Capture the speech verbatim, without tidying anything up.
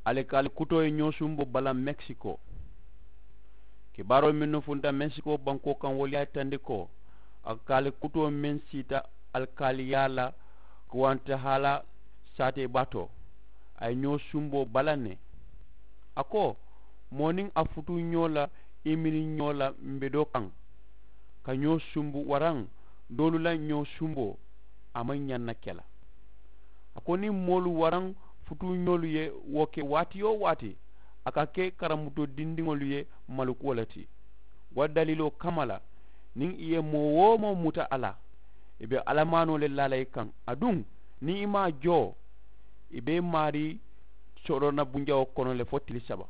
Alikaali kutoo ye ñoo sumboo bala mekisiko. Kibaaroo mennu funta mekisiko bankoo kaŋ wolu ye a yitandi ko alikaali kutoo meŋ siita alikaaliyaa la kuwantahaala saatee baa to, a ye ñoo sumboo bala ne. A ko moo niŋ a futuu ñoo la i mini ñoo la mbe doo kaŋ ka ñoo sumbu waraŋ doolu la ñoo sumboo a maŋ ñaŋ na ke la. A ko niŋ moolu waraŋ futuuñoolu ye wo ke waati-wo-waati a ka ke karamutoo dindiŋolu ye malukuwo le ti. Wo daliiloo kamma la niŋ i ye moo-wo-moo muta a la i be alamaanoo le laa la i kaŋ. Aduŋ niŋ i maŋ a joo i be i maarii soroona bunjawoo kono le fo tili saba.